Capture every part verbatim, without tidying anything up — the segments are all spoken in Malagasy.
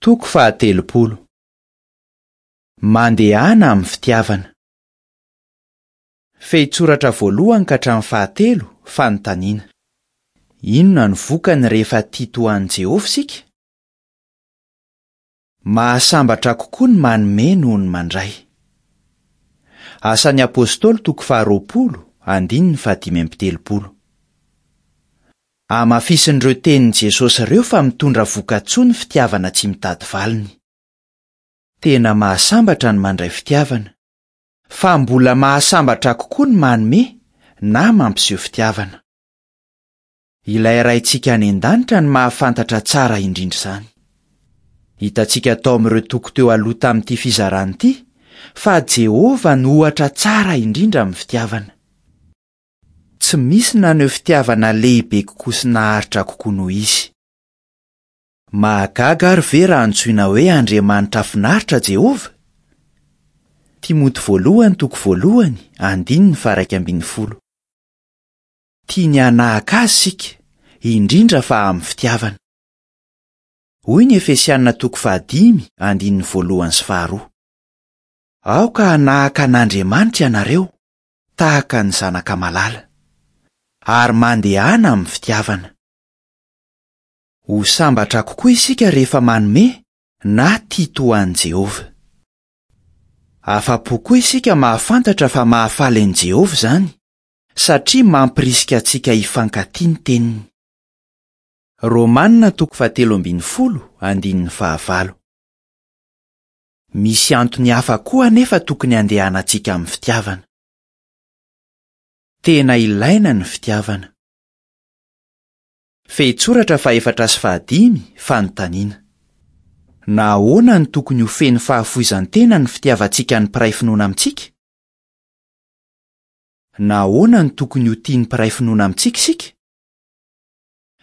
Toko fahatelopolo. Mandehana amin'ny fitiavana. Fehintsoratra voalohany ka hatramin'ny fahatelo, fanontaniana. Inona no vokany rehefa tia toa an'i Jehovah isika? Mahasambatra kokoa ny manome noho ny mandray. Asan'ny Apostoly toko faharoapolo, andininy fahadimy amby telopolo. Hamafisin'ireo tenin'i Jesosy ireo fa mitondra vokatsoa ny fitiavana tsy mitady valiny. Tena mahasambatra ny mandray fitiavana, fa mbola mahasambatra kokoa ny manome na mampiseho fitiavana. Ilay Raintsika any an-danitra no mahafantatra tsara indrindra izany. Hitantsika tao amin'ireo toko teo aloha tamin'ity fizarana ity fa Jehovah no ohatra tsara indrindra amin'ny fitiavana. Tsy misy naneho fitiavana lehibe kokoa sy naharitra kokoa noho izy. Mahagaga ary ve raha antsoina hoe Andriamanitra finaritra Jehovah? Timoty voalohany toko voalohany, andininy faha-iraika ambin'ny folo. Tiany hanahaka azy isika, indrindra fa amin'ny fitiavana. Hoy ny Efesiana toko fahadimy, andininy voalohany sy faharoa. Aoka hanahaka an'Andriamanitra ianareo, tahaka ny zanaka malala, ary mandehana amin'ny fitiavana. Ho sambatra kokoa isika rehefa manome na tia toa an'i Jehovah. Afa-po koa isika mahafantatra fa mahafaly an'i Jehovah izany, satria mampirisika antsika hifankatia ny teniny. Romanina toko fahatelo ambin'ny folo, andininy fahavalo. Misy antony hafa koa anefa tokony handehanantsika amin'ny fitiavana. Tena ilaina ny fitiavana. Fehintsoratra fahefatra sy fahadimy, fanontaniana. Nahoana no tokony ho feno fahafoizan-tena ny fitiavantsika ny mpiray finoana amintsika? Nahoana no tokony ho tia ny mpiray finoana amintsika isika?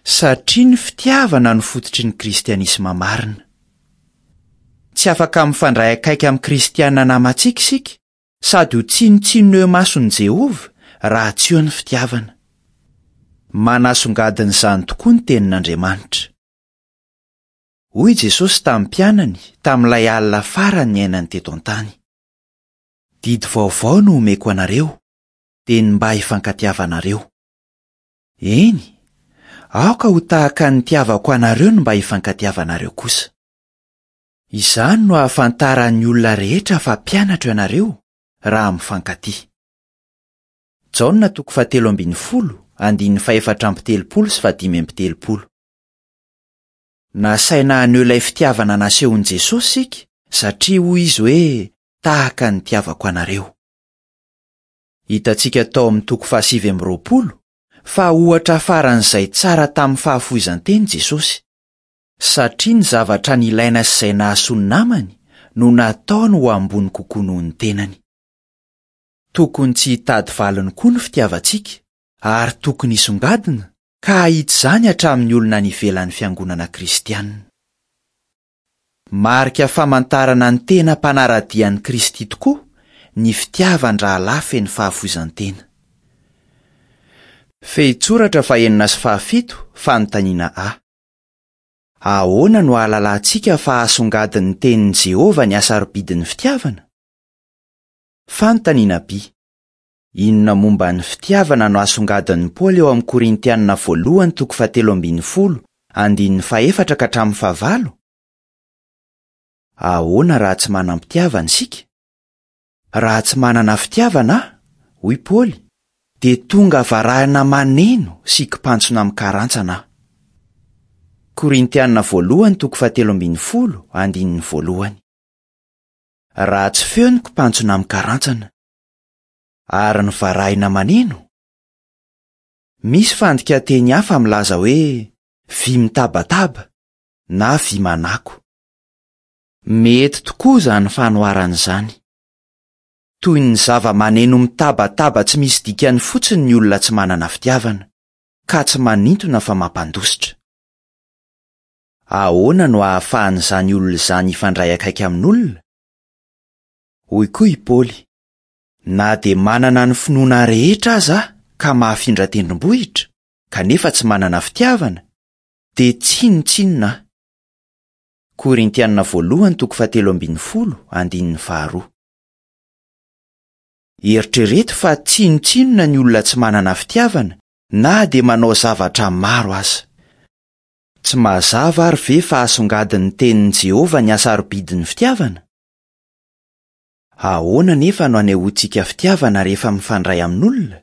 Satria ny fitiavana no fototry ny kristianisma marina. Tsy afaka mifandray akaiky amin'ny kristiana namantsika isika sady ho tsinontsinona eo imason'i Jehovah raha tsy eo ny fitiavana. Manasongadina izany tokoa ny tenin'Andriamanitra. Hoy Jesosy tamin'ny mpianany tamin'ilay alina farany niainany teto an-tany. Didy vaovao no omeko anareo, dia ny mba hifankatiavanareo. Eny, aoka ho tahaka ny nitiavako anareo ny mba hifankatiavanareo kosa. Izany no ahafantaran'ny olona rehetra fa mpianatro ianareo raha mifankatia. Jaona toko fahatelo ambin'ny folo, andininy fahefatra amby telopolo sy fahadimy amby telopolo. Nasaina haneho ilay fitiavana nasehon'i Jesosy isika, satria hoy izy hoe tahaka ny nitiavako anareo. Hitantsika tao amin'ny toko fahasivy amby roapolo fa ohatra faran'izay tsara tamin'ny fahafoizan-tena Jesosy, satria ny zavatra nilaina sy izay nahasoa ny namany no nataony ho ambony kokoa noho ny tenany. Tokony tsy hitady valiny koa ny fitiavantsika, ary tokony hisongadina ka hahita izany hatramin'ny olona any ivelan'ny fiangonana kristianina. Marika famantarana ny tena mpanara-dia an'i Kristy tokoa ny fitiavan-drahalahy feno fahafoizan-tena. Fehintsoratra fahenina sy fahafito, fanontaniana A. Ahoana no ahalalantsika fa asongadin'ny tenin'i Jehovah ny hasarobidin'ny fitiavana? Fanontaniana B. Inona momba ny fitiavana no asongadin'i Paoly eo amin'ny Korintianina voalohany toko fahatelo ambin'ny folo, andininy fahefatra ka hatramin'ny fahavalo? Ahoana raha tsy manam-pitiavana isika? Raha tsy manana fitiavana aho, hoy Paoly, dia tonga varahina maneno sy kipantsona mikarantsana aho. Korintianina voalohany toko fahatelo ambin'ny folo, andininy voalohany. Raha tsy feo ny kipantsona mikarantsana, ary ny varahina maneno? Misy fandikanteny hafa milaza hoe vy mitabataba na vy manako. Mety tokoa izany fanoharana izany. Toy ny zava-maneno mitabataba tsy misy dikany fotsiny ny olona tsy manana fitiavana, ka tsy manintona fa mampandositra. Ahoana no ahafahan'izany olona izany hifandray akaiky amin'olona? Hoy koa i Paoly, na dia manana ny finoana rehetra aza aho ka mahafindra tendrombohitra, kanefa tsy manana fitiavana, dia tsinontsinona aho. Korintianina voalohany toko fahatelo ambin'ny folo andininy faharoa. Eritrereto fa tsinontsinona ny olona tsy manana fitiavana na dia manao zavatra maro aza. Tsy mazava ary ve fa asongadin'ny tenin'i Jehovah ny hasarobidin'ny fitiavana? Ahoana nefa no anehoantsika fitiavana rehefa mifandray amin'olona?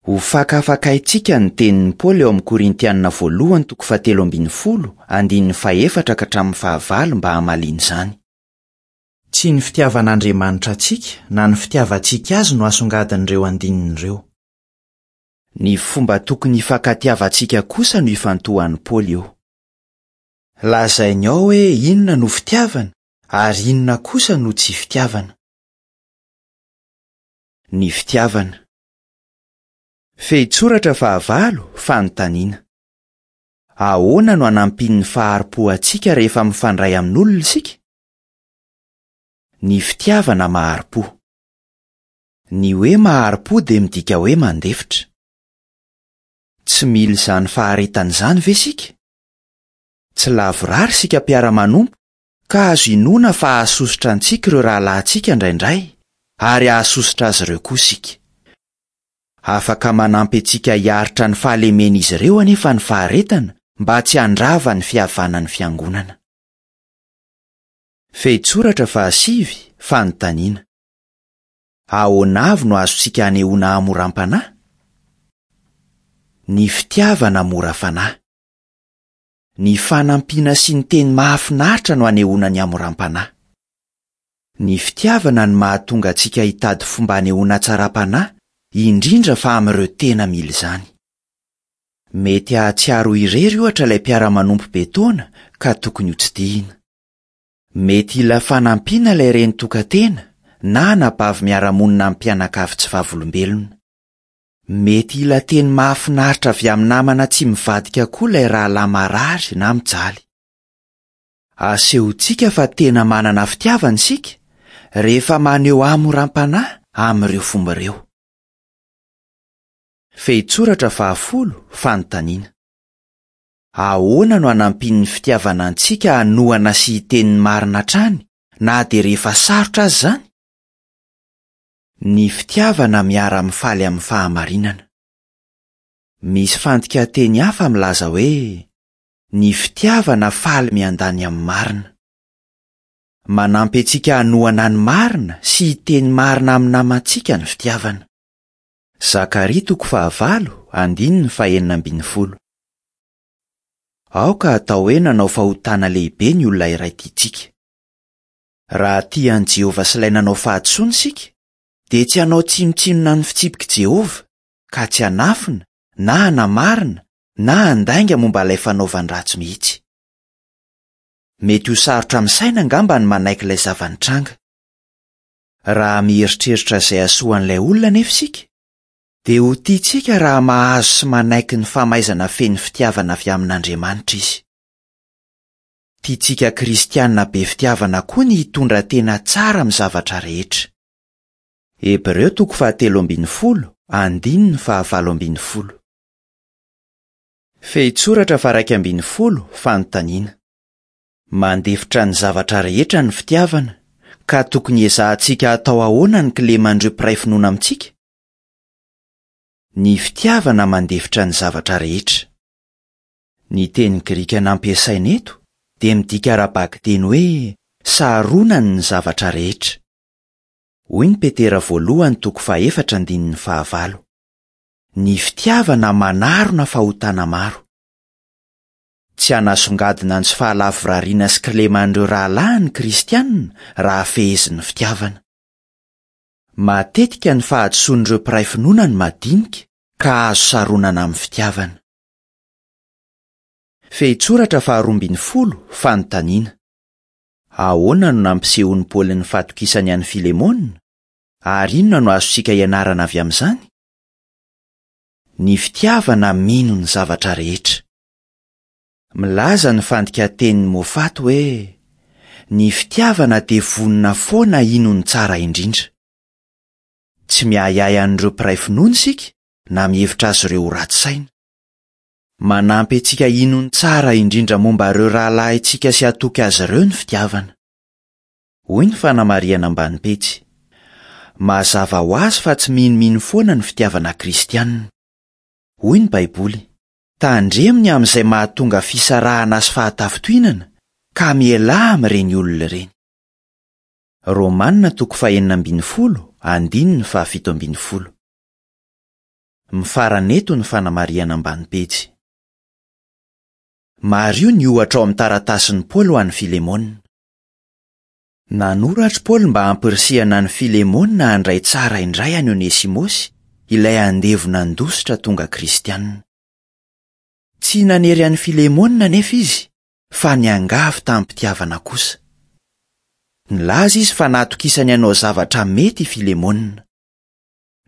Ho fakafakaintsika ny tenin'i Paoly eo amin'ny Korintianina voalohany toko fahatelo ambin'ny folo andininy fahefatra ka hatramin'ny fahavalo mba hamaliana izany. Tsy ny fitiavan'Andriamanitra antsika na ny fitiavantsika azy no asongadin'ireo andininy ireo. Ny fomba tokony hifankatiavantsika kosa no ifantohan'i Paoly eo. Lazainy ao hoe inona no fitiavana ary inona kosa no tsy fitiavana. Ny fitiavana. Fehintsoratra fahavalo, fanontaniana. Ahoana no anampian'ny fahari-po antsika rehefa mifandray amin'olona isika? Ny fitiavana mahari-po. Ny hoe mahari-po dia midika hoe mandefitra. Tsy mila izany faharetana izany ve isika? Tsy lavorary isika mpiara-manompo ka azo inoana fa hahasosotra antsika ireo rahalahintsika indraindray ary hahasosotra azy ireo koa isika. Afaka manampy antsika hiaritra ny fahalemen'izy ireo anefa ny faharetana mba tsy handrava ny fihavanan'ny fiangonana. Fehintsoratra fahasivy, fanontaniana. Ahoana avy no azontsika anehoana hamoram-panahy? Ny fitiavana mora fanahy. Ny fanampiana sy ny teny mahafinaritra no anehoana ny hamoram-panahy. Ny fitiavana no mahatonga antsika hitady fomba anehoana hatsaram-panahy, indrindra fa amin'ireo tena mila izany. Mety hahatsiaro irery ohatra ilay mpiara-manompo be taona ka tokony hotsidihina. Mety hila fanampiana ilay reny tokan-tena na anabavy miara-monina amin'ny mpianakavy tsy vavolombelona. Mety hila teny mahafinaritra avy amin'ny namana tsy mivadika koa ilay rahalahy marary na mijaly. Asehontsika fa tena manana fitiavana isika rehefa maneho hamoram-panahy amin'ireo fomba ireo. Fehintsoratra fahafolo, fanontaniana. Ahoana no anampian'ny fitiavana antsika hanohana sy hiteny ny marina hatrany na dia rehefa sarotra aza izany? Ny fitiavana miara-mifaly amin'ny fahamarinana. Misy fandikan-teny hafa milaza hoe ny fitiavana faly miandany amin'ny marina. Manampy antsika hanohana ny marina sy hiteny marina amin'ny namantsika ny fitiavana. Zakaria toko fahavalo, andininy fahenina ambin'ny folo. Aoka atao hoe nanao fahotana lehibe ny olona iray tiantsika. Raha tia an'i Jehovah sy ilay nanao fahadisoana isika, dia tsy hanao tsinontsinona ny fitsipik'i Jehovah ka tsy hanafina na hanamarina na handainga momba ilay fanaovan-dratsy mihitsy. Mety ho sarotra amin'ny saina angamba ny manaiky ilay zava-nitranga. Raha mieritreritra izay hahasoan'ilay olona anefa isika, dia ho tiantsika raha mahazo sy manaiky ny famaizana feno fitiavana avy amin'Andriamanitra izy. Tiantsika kristianina be fitiavana koa ny hitondra tena tsara amin'ny zavatra rehetra. Hebreo toko fahatelo ambin'ny folo, andininy fahavalo ambin'ny folo. Fehintsoratra faha-iraika ambin'ny folo, fanontaniana. Mandefitra ny zavatra rehetra ny fitiavana, ka tokony ezahantsika atao ahoana ny kileman'ireo mpiray finoana amintsika? Ny fitiavana mandefitra ny zavatra rehetra. Ny teny grika nampiasaina eto dia midika ara-bakiteny hoe saronany ny zavatra rehetra. Hoy ny Petera voalohany toko fahefatra andininy fahavalo. Ny fitiavana manarona fahotana maro. Tsy hanasongadina ny tsy fahalavorariana sy kileman'ireo rahalahy ny kristianina raha fehezin'ny fitiavana. Matetika ny fahadisoan'ireo mpiray finoana no madinika ka azo saronana amin'ny fitiavana. Fehintsoratra faharoa ambin'ny folo, fanontaniana. Ahoana no nampisehoan'i Paoly ny fatokisany an'i Filemona? Ary inona no azontsika ianarana avy amin'izany? Ny fitiavana mino ny zavatra rehetra. Milaza ny fandikan-tenin'i Moffat hoe ny fitiavana dia vonona foana hino ny tsara indrindra. Tsy miahiahy an'ireo mpiray finoana isika na mihevitra azy ireo ho ratsy saina. Manampy antsika hino ny tsara indrindra momba ireo rahalahintsika sy hatoky azy ireo ny fitiavana. Hoy ny fanamarihana ambany pejy. Mazava ho azy fa tsy minomino foana ny fitiavana kristianina. Hoy ny Baiboly: Tandremo ny amin'izay mahatonga fisarahana sy fahatafintohinana ka mialà amin'ireny olona ireny. Romanina toko fahenina ambin'ny folo, andininy fahafito ambin'ny folo. Mifarana eto ny fanamarihana ambany pejy. Mariho ny ohatra ao amin'ny taratasin'i Paoly ho an'i Filemona. Nanoratra Paoly mba hampirisihana an'i Filemona handray tsara indray an'i Onesimosy, ilay andevo nandositra tonga kristianina. Tsy nanery an'i Filemona anefa izy, fa niangavy tamim-pitiavana kosa. Nilaza izy fa natokisany hanao zavatra mety i Filemona.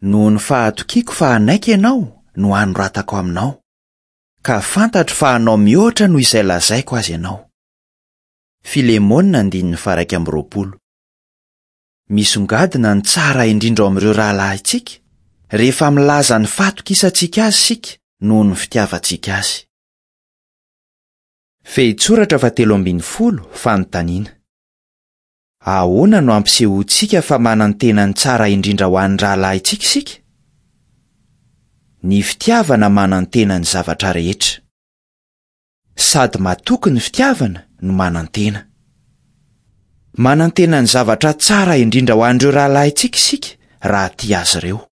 Noho ny fahatokiako fa hanaiky ianao no anoratako aminao, ka fantatro fa hanao mihoatra noho izay lazaiko azy ianao. Filemona andininy faha-iraika amby roapolo. Misongadina ny tsara indrindra ao amin'ireo rahalahintsika rehefa milaza ny fahatokisantsika azy isika noho ny fitiavantsika azy. Fehintsoratra fahatelo ambin'ny folo, fanontaniana. Ahoana no ampisehoantsika fa manantena ny tsara indrindra ho an'ny rahalahintsika isika? Ny fitiavana manantena ny zavatra rehetra. Sady matoky ny fitiavana no manantena. Manantena ny zavatra tsara indrindra ho an'ireo rahalahintsika isika raha tia azy ireo.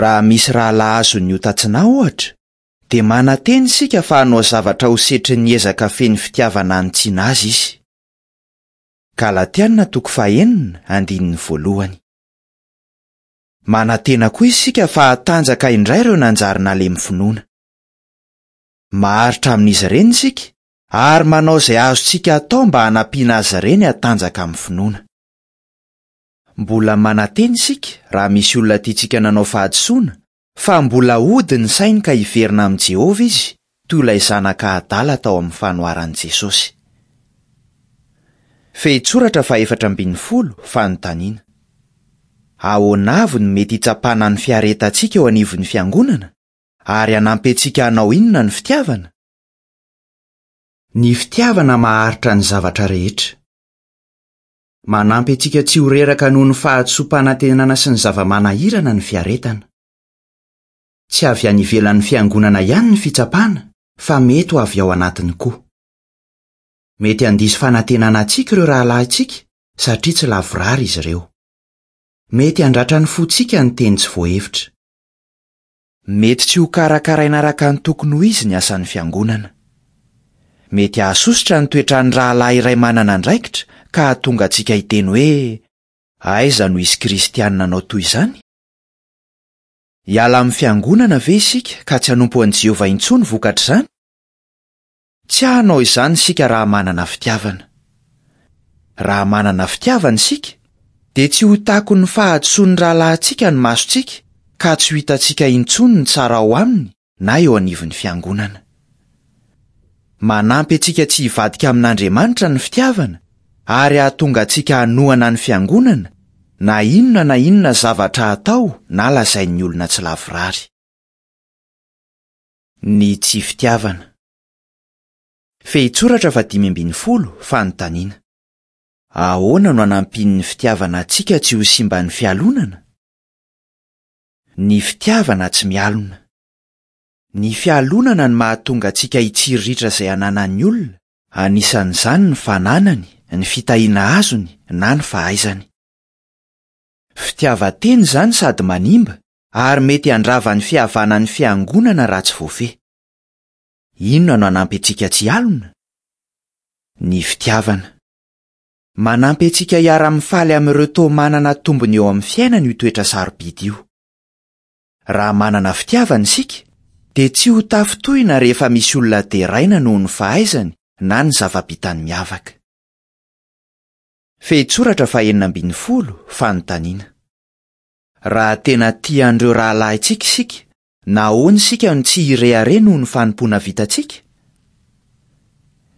Raha misy rahalahy azon'ny ota tsy nahy ohatra, dia manantena isika fa hanao zavatra ho setrin'ny ezaka feno fitiavana hanitsiana azy izy. Galatiana toko fahenina, andininy voalohany. Manantena koa isika fa hatanjaka indray ireo nanjary nalemy finoana. Maharitra amin'izy ireny isika ary manao izay azontsika atao mba hanampiana azy ireny hatanjaka amin'ny finoana. Mbola manantena isika raha misy olona tiantsika nanao fahadisoana fa mbola hody ny sainy ka hiverina amin'i Jehovah izy, toy ilay zanaka adala tao amin'ny fanoharan'i Jesosy. Fehintsoratra fahefatra ambin'ny folo, fanontaniana. Ahoana avy no mety hitsapana ny fiaretantsika eo anivon'ny fiangonana ary hanampy antsika hanao inona ny fitiavana? Ny fitiavana maharitra ny zavatra rehetra. Manampy antsika tsy ho reraka noho ny fahadisoam-panantenana sy ny zava-manahirana ny fiaretana. Tsy avy any ivelan'ny fiangonana ihany ny fitsapana, fa mety ho avy ao anatiny koa. Mety handiso fanantenana antsika ireo rahalahintsika satria tsy lavorary izy ireo. Mety handratra ny fontsika ny teny tsy voahevitra. Mety tsy ho karakaraina araka ny tokony ho izy ny asan'ny fiangonana. Mety hahasosotra ny toetran'ny rahalahy iray manana andraikitra ka hahatonga antsika hiteny hoe aiza no hisy kristianina hanao toy izany? Hiala amin'ny fiangonana ve isika ka tsy hanompo an'i Jehovah intsony vokatr'izany? Tsy hanao izany isika raha manana fitiavana. Raha manana fitiavana isika, dia tsy ho takon'ny fahadisoan'ny rahalahintsika ny masontsika ka tsy ho hitantsika intsony ny tsara ao aminy na eo anivon'ny fiangonana. Manampy antsika tsy hivadika amin'Andriamanitra ny fitiavana ary hahatonga antsika hanohana ny fiangonana na inona na inona zavatra atao na lazain'ny olona tsy lavorary. Ny tsy fitiavana. Fehintsoratra fahadimy ambin'ny folo, fanontaniana. Ahoana no hanampian'ny fitiavana antsika tsy ho simban'ny fialonana? Ny fitiavana tsy mialona. Ny fialonana no mahatonga antsika hitsiriritra izay ananan'ny olona, anisan'izany ny fananany, ny fitahiana azony na ny fahaizany. Fitiavan-tena izany sady manimba ary mety handrava ny fihavanan'ny fiangonana raha tsy voafehy. Inona no hanampy antsika tsy hialona? Ny fitiavana. Manampy antsika hiara-mifaly amin'ireo toa manana tombony eo amin'ny fiainana io toetra sarobidy io. Raha manana fitiavana isika, dia tsy ho tafintohina rehefa misy olona deraina noho ny fahaizany na ny zava-bitany miavaka. Fehintsoratra fahenina ambin'ny folo, fanontaniana. Raha tena tia an'ireo rahalahintsika isika, nahoana isika no tsy hirehareha noho ny fanompoana vitantsika?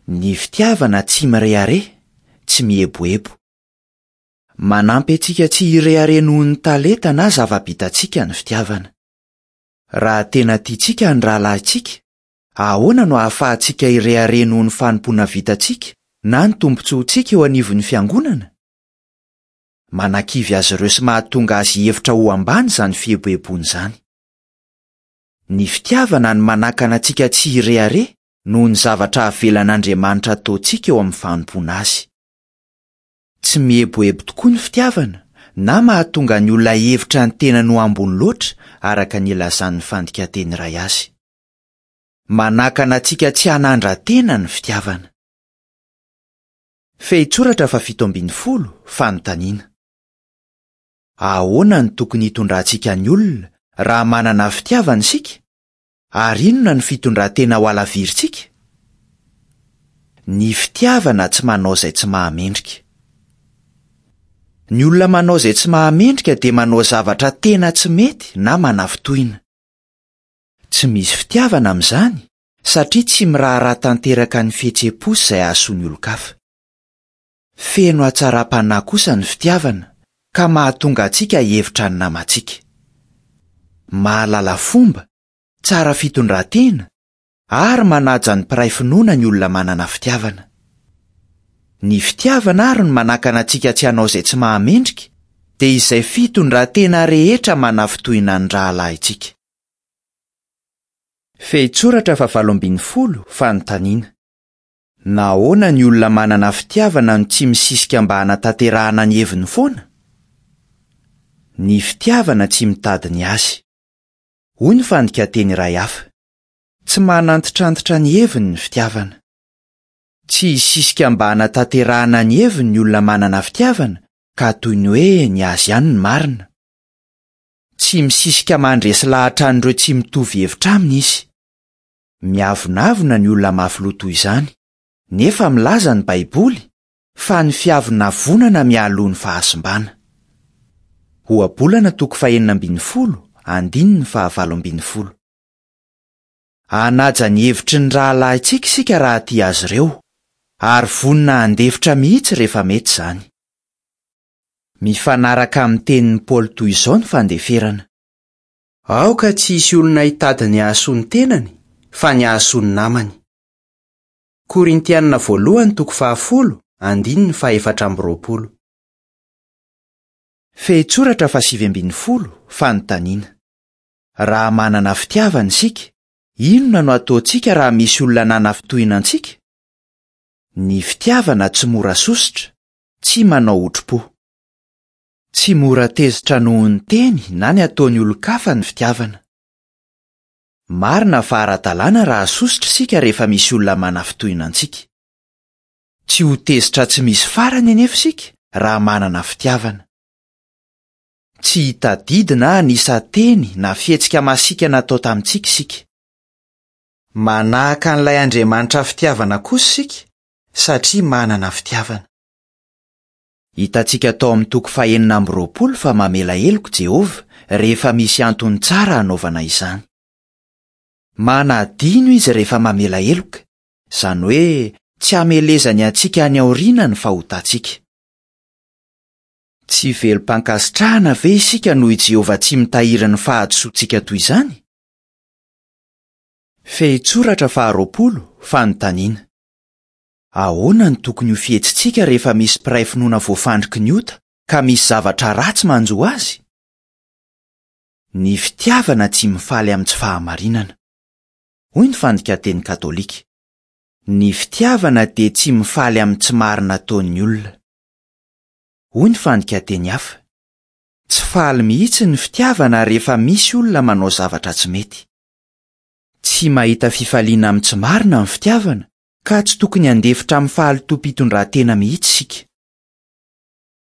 Ny fitiavana tsy mirehareha, tsy mieboebo. Manampy antsika tsy hirehareha noho ny talenta na zava-bitantsika ny fitiavana. Raha tena tiantsika ny rahalahintsika, Ahoana no ahafahantsika hirehareha noho ny fanompoana vitantsika na ny tombontsoantsika eo anivon'ny fiangonana? Manakivy azy ireo sy mahatonga azy hihevitra ho ambany izany fieboeboana izany. Ny fitiavana no manakana antsika tsy hirehareha noho ny zavatra avelan'Andriamanitra ataontsika eo amin'ny fanompoana azy. Tsy mieboebo tokoa ny fitiavana na mahatonga ny olona hihevitra ny tenany ho ambony loatra araka ny ilazan'ny fandikan-teny iray azy. Manakana antsika tsy hanandra-tena ny fitiavana. Fehintsoratra fahafito ambin'ny folo, fanontaniana. Ahoana no tokony hitondrantsika ny olona raha manana fitiavana isika? Ary inona ny fitondran-tena ho halavirintsika? Ny fitiavana tsy manao izay tsy mahamendrika. Ny olona manao izay tsy mahamendrika dia manao zavatra tena tsy mety na manafintohina. Tsy misy fitiavana amin'izany satria tsy miraharaha tanteraka ny fihetseham-po sy izay hahasoa ny olon-kafa. Feno hatsaram-panahy kosa ny fitiavana ka mahatonga antsika hihevitra ny namantsika. Mahalala fomba, tsara fitondran-tena ary manaja ny mpiray finoana ny olona manana fitiavana. Ny fitiavana ary no manakana antsika tsy hanao izay tsy mahamendrika, dia izay fitondran-tena rehetra manafintohina ny rahalahintsika. Fehintsoratra fahavalo ambin'ny folo, fanontaniana. Nahoana ny olona manana fitiavana no tsy misisika mba hanatanterahana ny heviny foana? Ny fitiavana tsy mitady ny azy. Hoy ny fandikan-teny iray hafa. Tsy manantitrantitra ny heviny ny fitiavana. Tsy hisisika mba hanatanterahana ny heviny ny olona manana fitiavana ka toy ny hoe ny azy ihany ny marina. Tsy misisika mandresy lahatra an'ireo tsy mitovy hevitra aminy izy. Miavonavona ny olona mafy loha toy izany, nefa milaza ny Baiboly fa ny fiavonavonana mialoha ny fahasimbana. Ohabolana toko fahenina ambin'ny folo, andininy fahavalo ambin'ny folo. Hanaja ny hevitry ny rahalahintsika isika raha tia azy ireo, ary vonona handefitra mihitsy rehefa mety izany. Mifanaraka amin'ny tenin'i Paoly toy izao ny fandeferana. Aoka tsy hisy olona hitady ny hahasoa ny tenany, fa ny hahasoa ny namany. Korintianina voalohany toko fahafolo, andininy fahaefatra amby roapolo. Fehintsoratra fahasivy ambin'ny folo, fanontaniana. Raha manana fitiavana isika, inona no ataontsika raha misy olona nanafintohina antsika? Ny fitiavana tsy mora sosotra, tsy manao otri-po. Tsy mora tezitra noho ny teny na ny ataon'ny olon-kafa ny fitiavana. Marina fa ara-dalàna raha sosotra isika rehefa misy olona manafintohina antsika. Tsy ho tezitra tsy misy farany anefa isika raha manana fitiavana. Tsy hitadidy na hanisa teny na fihetsika masiaka natao tamintsika isika. Manahaka an'ilay Andriamanitra fitiavana kosa isika satria manana fitiavana. Hitantsika tao amin'ny toko fahenina amby roapolo fa mamela heloka Jehovah rehefa misy antony tsara hanaovana izany. Manadino izy rehefa mamela heloka, izany hoe tsy hamelezany antsika any aoriana ny fahotantsika. Tsy velom-pankasitrahana ve isika noho i Jehovah tsy mitahiry ny fahadisoantsika toy izany? Fehintsoratra faharoapolo, fanontaniana. Ahoana no tokony ho fihetsitsika rehefa misy mpiray finoana voafandriky ny ota ka misy zavatra ratsy manjo azy? Ny fitiavana tsy mifaly amin'ny tsy fahamarinana. Hoy ny fandikan-teny katolika. Ny fitiavana dia tsy mifaly amin'ny tsy marina ataon'ny olona. Hoy ny fandikan-teny hafa. Tsy faly mihitsy ny fitiavana rehefa misy olona manao zavatra tsy mety. Tsy mahita fifaliana amin'ny tsy marina ny fitiavana ka tsy tokony handefitra amin'ny fahalotoam-pitondran-tena mihitsy isika.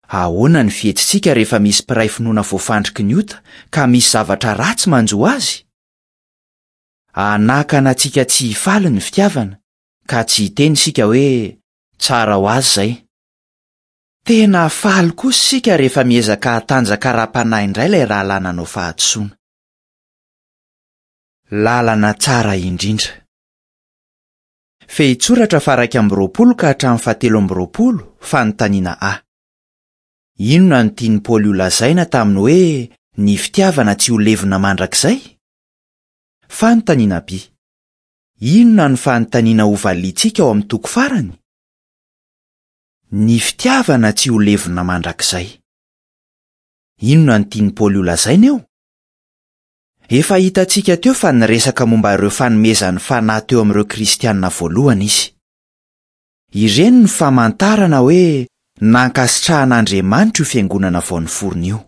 Ahoana ny fihetsitsika rehefa misy mpiray finoana voafandriky ny ota ka misy zavatra ratsy manjo azy? Hanakana antsika tsy hifaly ny fitiavana ka tsy hiteny isika hoe tsara ho azy izay. Tena faly kosa isika rehefa miezaka hatanjaka ara-panahy indray ilay rahalahy nanao fahadisoana. Lalana tsara indrindra. Fehintsoratra faha-iraika amby roapolo ka hatramin'ny fahatelo amby roapolo, fanontaniana A. Inona no tian'i Paoly holazaina tamin'ny hoe ny fitiavana tsy ho levona mandrakizay? Fanontaniana B. Inona no fanontaniana hovaliantsika ao amin'ny toko farany? Ny fitiavana tsy ho levona mandrakizay. Inona no tian'i Paoly holazaina eo? Efa hitantsika teo fa niresaka momba ireo fanomezan'ny fanahy teo amin'ireo kristianina voalohany izy. Ireny ny famantarana hoe nankasitrahan'Andriamanitra io fiangonana vao niforona io.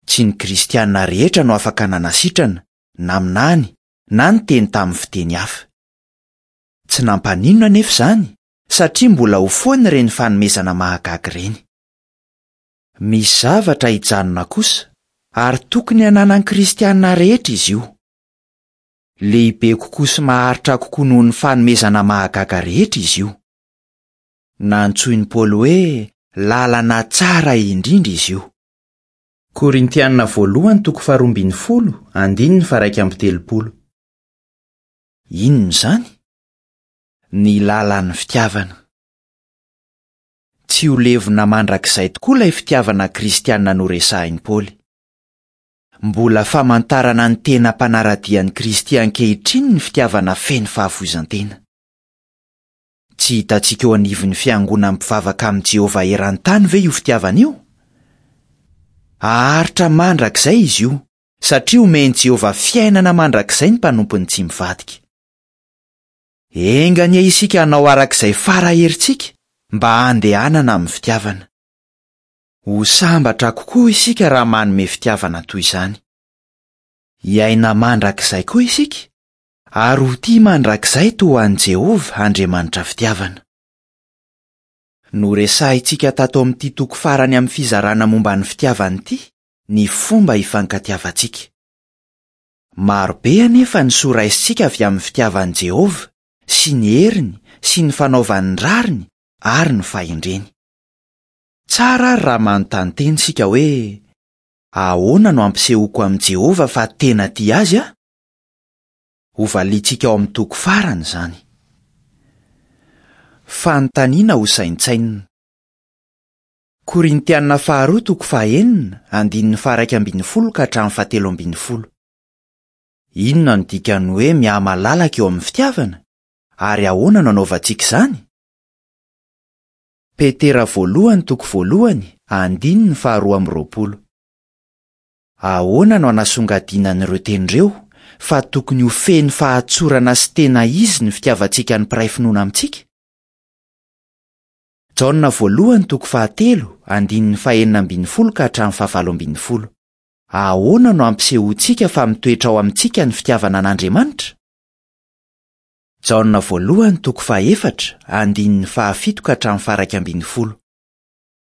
Tsy ny kristianina rehetra no afaka nanasitrana, naminany, na niteny tamin'ny fiteny hafa. Tsy nampaninona anefa izany, satria mbola ho foana ireny fanomezana mahagaga ireny. Misy zavatra hijanona kosa, ary tokony hananan'ny kristianina rehetra izy io. Lehibe kokoa sy maharitra kokoa noho ny fanomezana mahagaga rehetra izy io. Nantsoin'i Paoly hoe lalana tsara indrindra izy io. Korintianina voalohany toko faharoa ambin'ny folo, andininy faha-iraika amby telopolo. Inona izany? Ny lalan'ny fitiavana. Tsy ho levona mandrakizay tokoa ilay fitiavana kristianina noresahin'i Paoly. Mbola famantarana ny tena mpanara-dia an'i Kristy ankehitriny ny fitiavana feno fahafoizan-tena. Tsy hitantsika eo anivon'ny fiangonana mpivavaka amin'i Jehovah eran-tany ve io fitiavana io? Haharitra mandrakizay izy io, satria omen'i Jehovah fiainana mandrakizay ny mpanompony tsy mivadika. Enga anie isika hanao arak'izay fara herintsika mba handehanana amin'ny fitiavana. Ho sambatra kokoa isika raha manome fitiavana toy izany. Hiaina mandrakizay koa isika, ary ho tia mandrakizay toa an'i Jehovah Andriamanitra fitiavana. Noresahintsika tato amin'ity toko farany amin'ny fizarana momba ny fitiavana ity ny fomba ifankatiavantsika. Maro be anefa ny soa raisintsika avy amin'ny fitiavan'i Jehovah sy ny heriny sy ny fanaovany ny rariny ary ny fahendreny. Tsara ary raha manontany tena isika hoe ahoana no ampisehoako amin'i Jehovah fa tena tia azy aho? Hovaliantsika ao amin'ny toko farany izany. Fanontaniana ho saintsainina. Korintianina faharoa toko fahaenina, andininy faha-iraika ambin'ny folo ka hatramin'ny fahatelo ambin'ny folo. Inona no dikan'ny hoe mihamalalaka eo amin'ny fitiavana? Ary ahoana no anaovantsika izany? Petera voalohany toko voalohany, andininy faharoa amby roapolo. Ahoana no anasongadinan'ireo teny ireo fa tokony ho feno fahatsorana sy tena izy ny fitiavantsika ny mpiray finoana amintsika? Jaona voalohany toko fahatelo, andininy fahenina ambin'ny folo ka hatramin'ny fahavalo ambin'ny folo. Ahoana no ampisehoantsika fa mitoetra ao amintsika ny fitiavana an'Andriamanitra? Jaona voalohany toko fahaefatra, andininy fahafito ka hatramin'ny faha-iraika ambin'ny folo.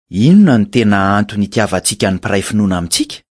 Inona no tena antony itiavantsika ny mpiray finoana amintsika?